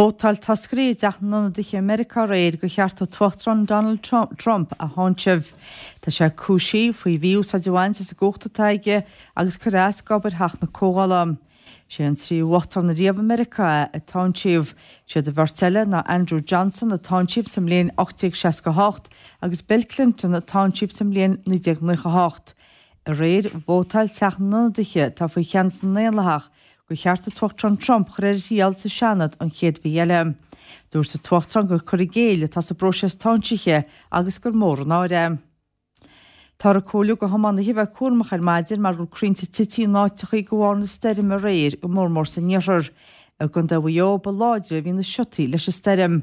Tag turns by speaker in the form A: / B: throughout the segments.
A: Vótáil toscairí i dTeach na nIonadaithe i Meiriceá aréir gur cheart an tUachtarán Donald Trump a tháinseamh. Tá sé cúisithe faoi mhí-úsáid a bhaint as an gcumhacht atá aige agus cur as d'obair Theach na Comhdhála. Sé an tríú uachtarán ariamh i Meiriceá é a táinsíodh. Siad an bheirt eile ná Andrew Johnson a táinsíodh sa mbliain 1868 agus Bill Clinton a táinsíodh sa mbliain 1998. Aréir, vótáil Teach na nIonadaithe, atá faoi cheannas na nDaonlathach, gur cheart an tUachtarán Trump a chur ar a thriail sa Seanad an chéad mhí eile. Dúirt an tUachtarán gur cur i gcéill atá sa bpróiseas táinsithe agus gur mór an náire é. Táthar ag comhairliú do thiománaithe a bheith cúramach ar maidin mar go bhfuil crainnte tite in áiteachaí de bharr na stoirme aréir, go mór mór san iarthar. I gContae Mhaigh Eo ba láidre a bhí na siotaí leis an stoirm.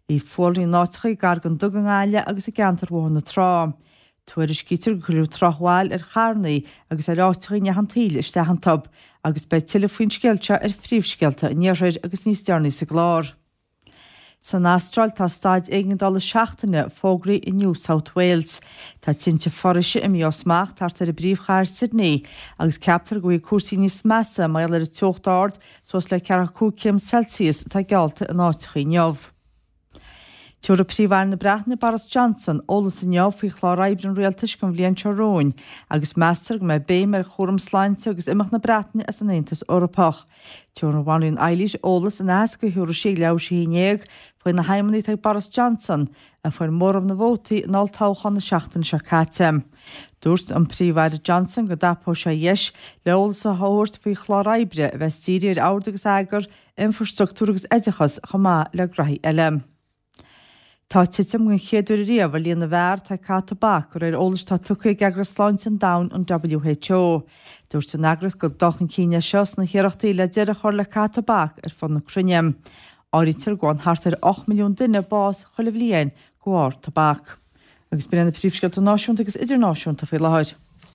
A: Bhí fualraí in áiteachaí gar don Duga i nGaillimh agus i gceantar Bhóthar na Trá. Tuairiscítear gur cuireadh drochbhail ar charrannaí agus ar áiteachaí a ndeachaigh an taoille isteach iontu, agus beidh tuilleadh faoin scéal seo ar Phríomhscéalta an Iarthair agus níos deireanaí sa gclár. San Astráil tá staid éigeandála seachtaine fógraithe i New South Wales. Tá tinte foraoise imithe ó smacht thart ar an bpríomhchathair Sydney agus ceaptar go bhfaighidh cúrsaí níos measa mar gheall ar an teocht ard suas le 45 céim Celsius atá geallta in áiteachaí inniu. Tabharfaidh Príomh-Aire na Breataine Boris Johnson eolas inniu faoi chlár oibre an rialtais don bhliain seo romhainn agus meastar go mbeidh béim ar chúram sláinte agus imeacht na Breataine as an Aontas Eorpach. Tabharfaidh an Bhanríon Eilís eolas in aitheasc a thabharfaidh sí ag leathuair tar éis a 11 faoi na haidhmeanna atá ag Boris Johnson, a fuair móramh na vótaí in olltoghchán na seachtaine seo caite. Dúirt an Príomh-Aire Johnson go dtapóidh sé a dheis le eolas a thabhairt faoi chlár oibre a bheas dírithe ar ord agus eagar, infrastruchtúr agus oideachas chomh maith le graithí eile. Tá titim den chéad uair ariamh ar líon na bhfear atá ag caitheamh tobac, de réir eolais atá tugtha ag Eagras Sláinte an Domhain, an WHO. Dúirt an eagraíocht gur dul chun cinn é seo sna hiarrachtaí le deireadh a chur le caitheamh tobac ar fud na cruinne. Áirítear go bhfaigheann thart ar 8 milliún duine bás chuile bhliain de bharr tobac. Agus b'in iad na príomhscéalta náisiúnta agus idirnáisiúnta faoi láthair.